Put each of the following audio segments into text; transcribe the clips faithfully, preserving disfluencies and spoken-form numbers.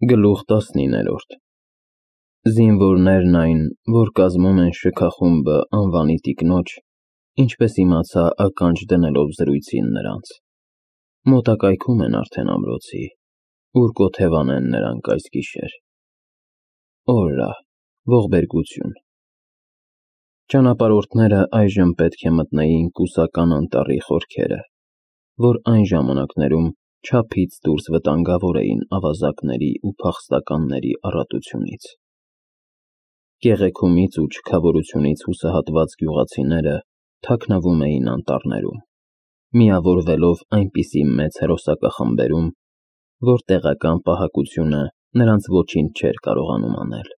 Գլուխ տասնիններորդ Զինվորներն այն, որ կազմում են շքախումբը անվանի տիկնոջ, ինչպես իմացա ականջ դնելով զրույցին նրանց, մոտակայքում են արդեն ամրոցի, ուր կոթևանեն նրանք այս գիշեր։ Օրա, ողբերգություն։ Ճանապարհորդները այժմ պետք է մտնեին կուսական անտառի խորքերը, որ այն ժամանակներում չափից դուրս վտանգավոր էին ավազակների ու փախստականների առատությունից։ Կեղեքումից ու չքավորությունից հուսահատված գյուղացիները թաքնվում էին անտառներում, միավորվելով այնպիսի մեծ հերոսակախմբերում, որ տեղական պահակությունը նրանց ոչինչ չէր կարողանում անել։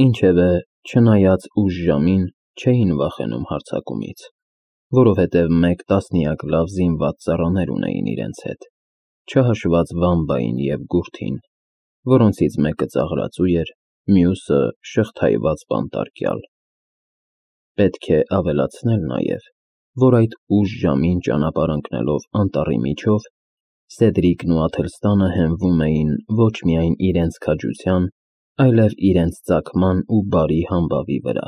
Ինչևէ, չնայած ուշ ժամին, չէին վախենում հարձակումից, որովհետև մեկ տասնյակ լավ զինված ծառաներ ունեին իրենց հետ, չհաշված Վամբային և Գուրթին, որոնցից մեկը ծաղրածու էր, մյուսը շղթայված բանտարկյալ։ Պետք է ավելացնել նաև, որ այդ ուշ ժամին ճանապարհ ընկնելով անտառի միջով, Սեդրիկն ու Աթելստանը հենվում էին ոչ միայն իրենց քաջության, այլև իրենց ծագման ու բարի համբավի վրա։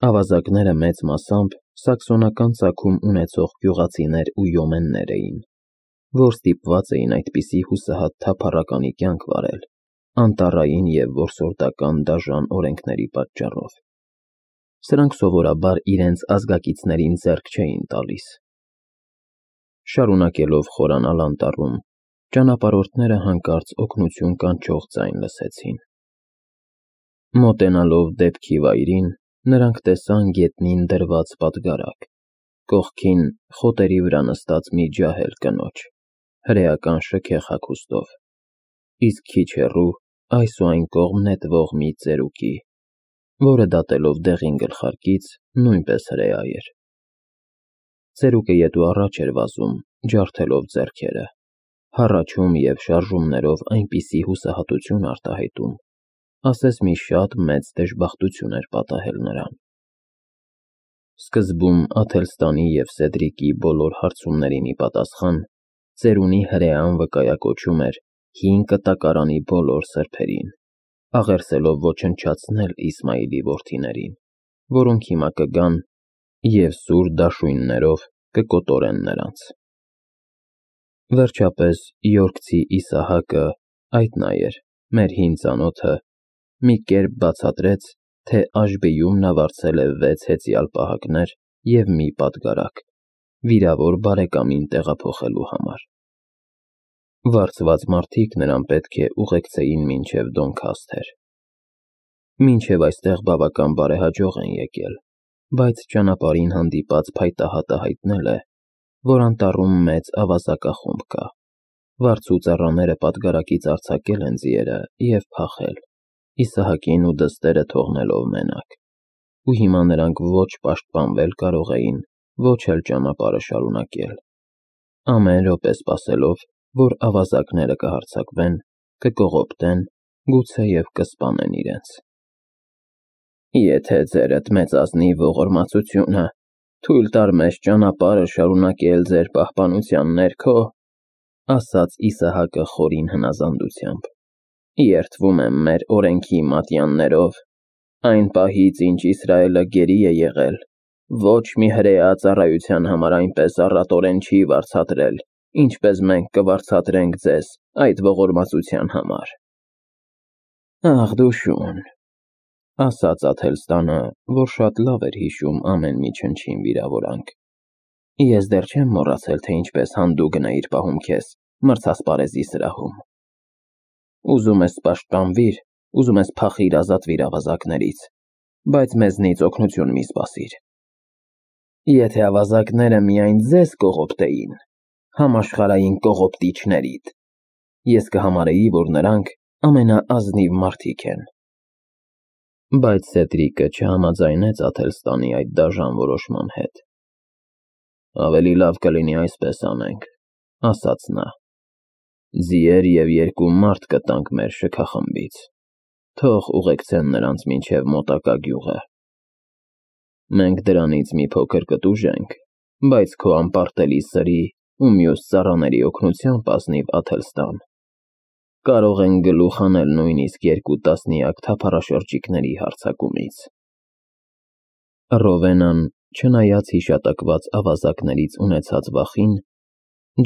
Ավազակները մեծ մասամբ սաքսոնական ծագում ունեցող գյուղացիներ ու յոմեններ էին, որ ստիպված էին այդպիսի հուսահատ թափառականի կյանք վարել, անտառային և որսորդական դաժան օրենքների պատճառով։ Սրանք սովորաբար իրենց ազգակիցներին ձեռք չէին տալիս։ Շարունակելով խորանալ անտառում, ճանապարհորդները հանկարծ օգնություն կանչող ձայն լսեցին։ Մոտենալով դեպքի վայրին, նրանք տեսան գետնին դրված պատգարակ, կողքին խոտերի վրա նստած մի ջահել կնոջ, հրեական շքեղ հագուստով, իսկ քիչ հեռու այս ու այն կողմ նետվող մի ծերուկի, որը դատելով դեղին գլխարկից նույնպես հրեա էր։ Ծերուկը ետ ու առաջ էր վազում, ջարդելով ձեռքերը, հառաչում և շարժումներով այնպիսի հուսահատություն արտահայտում, ասես մի շատ մեծ դժբախտություն էր պատահել նրան։ Սկզբում Աթելստանի և Սեդրիկի բոլոր հարցումներին ի պատասխան, ծերունի հրեան վկայակոչում էր հին կտակարանի բոլոր սրբերին, աղերսելով ոչնչացնել Իսմայիլի որդիներին, որոնք հիմա կգան և սուր դաշույններով կկոտորեն նրանց։ Վերջապես Եորքցի Իսահակը, այդ նա էր, մեր հին ծանոթը, մի կերպ բացատրեց, թե Աշբիում նա վարձել է վեց հեծյալ պահակներ և մի պատգարակ, վիրավոր բարեկամին տեղափոխելու համար։ Վարձված մարդիկ նրան պետք է ուղեկցեին մինչև Դոնքասթեր։ Մինչև այստեղ բավական բարեհաջող են եկել, բայց ճանապարհին հանդիպած փայտահատը հայտնել է, որ անտառում մեծ ավազակախումբ կա, վարձու ծառաները պատգարակից արձակել են ձիերը և փախել, Իսահակին ու դստերը թողնելով մենակ, ու հիմա նրանք ոչ պաշտպանվել կարող էին, ոչ էլ ճանապարհը շարունակել, ամեն րոպե սպասելով, որ ավազակները կհարձակվեն, կկողոպտեն, գուցեև կսպանեն իրենց։ Եթե ձերդ մեծացնի ողորմածությունը, թույլ տար մեզ ճանապարհը շարունակել ձեր պահպանության ներքո, ասաց Իսահակը խորին հնազանդությամբ, երդվում եմ մեր օրենքի մատյաններով, այն պահից, ինչ Իսրայելը գերի է եղել, ոչ մի հրեա ծառայության համար այնպես առատորեն չի վարձատրել, ինչպես մենք կվարձատրենք ձեզ այդ ողորմածության համար։ Ախ դու շուն, ասաց Աթելստանը, որ շատ լավ էր հիշում ամեն մի չնչին վիրավորանք, ես դեռ չեմ մոռացել, թե ինչպես հանդուգն էիր պահում քեզ մրցասպարեզի սրահում։ Ուզում ես պաշտպանվիր, ուզում ես փախիր ազատվիր ավազակներից, բայց մեզնից օգնություն մի սպասիր։ Եթե ավազակները միայն ձեզ կողոպտեին, համաշխարհային կողոպտիչներիդ, ես կհամարեի, որ նրանք ամենաազնիվ մարդիկ են։ Բայց Սեդրիկը չհամաձայնեց Աթելստանի այդ դաժան որոշման հետ։ Ավելի լավ կլինի այսպես անենք, ասաց նա, ձիեր և երկու մարդ կտանք մեր շքախմբից, թող ուղեկցեն նրանց մինչև մոտակա գյուղը։ Մենք դրանից մի փոքր կտուժենք, բայց քո անպարտելի սրի ու մյուս ծառաների օգնությամբ, ազնիվ Աթելստան, կարող են գլուխ անել նույնիսկ երկու տասնյակ թափառաշրջիկների հարձակումից։ Ռովենան, չնայած հիշատակված ավազակներից ունեցած վախին,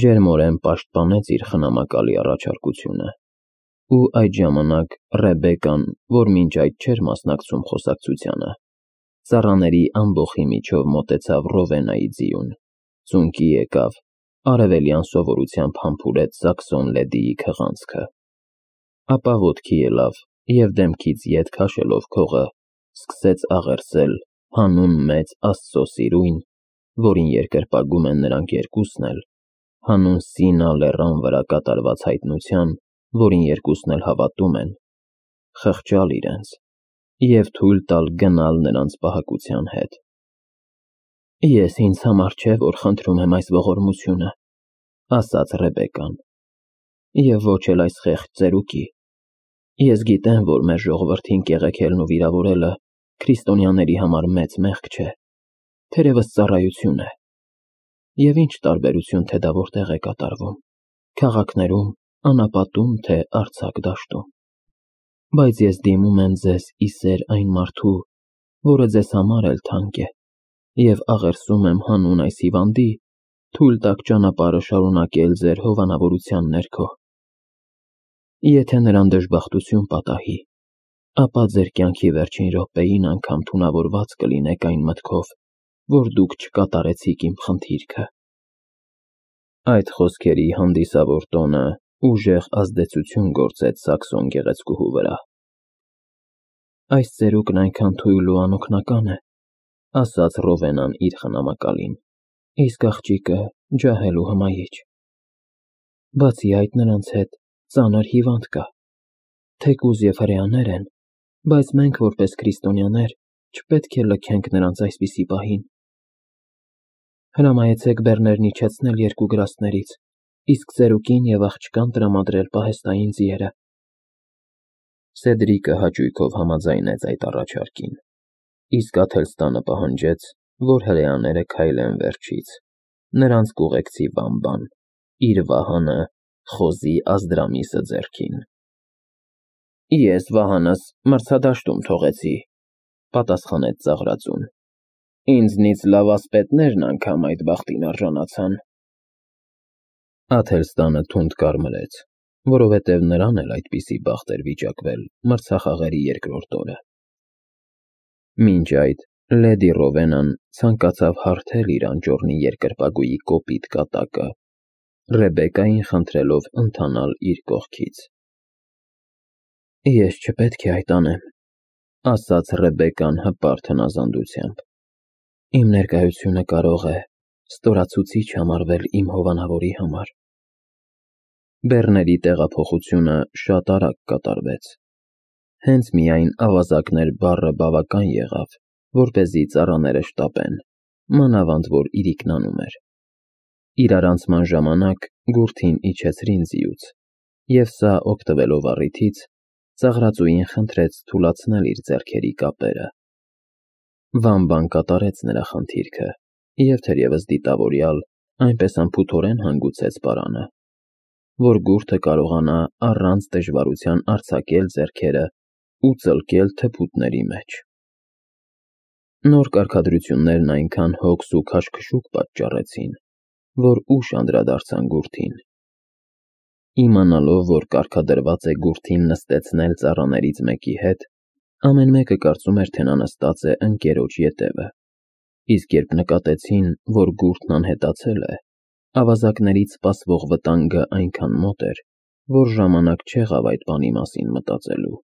ջերմորեն պաշտպանեց իր խնամակալի առաջարկությունը, ու այդ ժամանակ Ռեբեկան, որ մինչ այդ չէր մասնակցում խոսակցությանը, ծառաների ամբոխի միջով մոտեցավ Ռովենայի ձիուն, ծունկի եկավ, արևելյան սովորությամբ համբուրեց Սաքսոն Լեդիի քղանցքը, ապա ոտքի ելավ և դեմքից ետ քաշելով քողը, սկսեց աղերսել հանուն մեծ Աստծո սիրույն, որին երկրպագում են նրանք երկուսն էլ, հանուն Սինա լեռան վրա կատարված հայտնության, որին երկուսն էլ հավատում են, խղճալ իրենց և թույլ տալ գնալ նրանց պահակության հետ։ Ես ինձ համար չէ, որ խնդրում եմ այս ողորմությունը, ասաց Ռեբեկան, և ոչ էլ այս խեղճ ծերուկի։ Ես գիտեմ, որ մեր ժողովրդին կեղեքելն ու վիրավորելը քրիստոնյաների համար մեծ մեղք չէ, թերևս ծառայություն է, և ինչ տարբերություն, թե դա որտեղ է կատարվում, քաղաքներում, անապատում, թե արձակ դաշտում, բայց ես դիմում եմ ձեզ ի սեր այն մարդու, որը ձեզ համար էլ թանկ է, և աղերսում եմ հանուն այս հիվանդի, թույլ տաք ճանապարհը շարունակել ձեր հովանավորության ներքո։ Եթե նրան դժբախտություն պատահի, ապա ձեր կյանքի վերջին րոպեին անգամ թունավորված կլինեք այն մտքով, որ դուք չկատարեցիք իմ խնդիրքը։ Այդ խոսքերի հանդիսավոր տոնը ուժեղ ազդեցություն գործեց Սաքսոն գեղեցկուհու վրա։ Այս ծերուկն այնքան թույլ ու անօգնական է, ասաց Ռովենան իր խնամակալին, իսկ աղջիկը ջահել ու հմայիչ։ Բացի այդ, նրանց հետ ծանր հիվանդ կա, թեկուզ և հրեաներ են, բայց մենք որպես քրիստոնյաներ չպետք է լքենք նրանց այսպիսի պահին։ Հրամայեցեք բեռներն իջեցնել երկու գրաստներից, իսկ ծերուկին և աղջկան տրամադրել պահեստային ձիերը։ Սեդրիկը հաճույքով համաձայնեց այդ առաջարկին, իսկ Աթելստանը պահանջեց, որ հրեաները քայլեն վերջից, նրանց կուղեկցի Վամբան, իր վահանը խոզի Ազդրամիսը ձեռքին։ Ես վահանս մրցադաշտում թողեցի, պատասխանեց ծաղրածուն, ինձնից լավ ասպետներն անգամ այդ բախտին արժանացան։ Աթելստանը թունդ կարմրեց, որովհետև նրան էլ այդպիսի բախտ էր վիճակվել մրցախաղերի երկրորդ օրը։ Մինչ այդ Լեդի Ռովենան ցանկացավ հարթել իր անճոռնի երկրպագուի կոպիտ կատակը, Ռեբեկային խնդրելով ընթանալ իր կողքից։ Ես չպետք է այդ անեմ, ասաց Ռեբեկան հպարտ հնազանդությամբ։ Իմ ներկայությունը կարող է ստորացուցիչ համարվել իմ հովանավորի համար։ Բեռների տեղափոխությունը շատ արագ կատարվեց։ Հենց միայն ավազակներ բառը բավական եղավ, որպեսզի ծառաները շտապեն, մանավանդ որ իրիկնանում էր։ Իրարանցման ժամանակ գուրթին իջեցրին ձիուց, և սա օգտվելով առիթից, ծաղրածուին խնդրեց թուլացնել իր ձեռքերի կապերը։ Վամբան կատարեց նրա խնդիրքը, և թերևս դիտավորյալ այնպես անփութորեն հանգուցեց պարանը, որ գուրթը կարողանա առանց դժվարության արձակել ձեռքերը ու ծլկել թփուտների մեջ։ Նոր կարգադրություններն այնքան հոգս ու քաշքշուկ պատճառեցին, որ ուշ անդրադարձան գուրթին։ Իմանալով, որ կարգադրված է գուրթին նստեցնել ծառաներից մեկի հետ, ամեն մեկը կարծում էր, թե նա նստած է ընկերոջ ետևը, իսկ երբ նկատեցին, որ գուրթն անհետացել է, ավազակներից սպասվող վտանգը այնքան մոտ էր, որ ժամանակ չեղավ այդ բանի մասին մտածելու։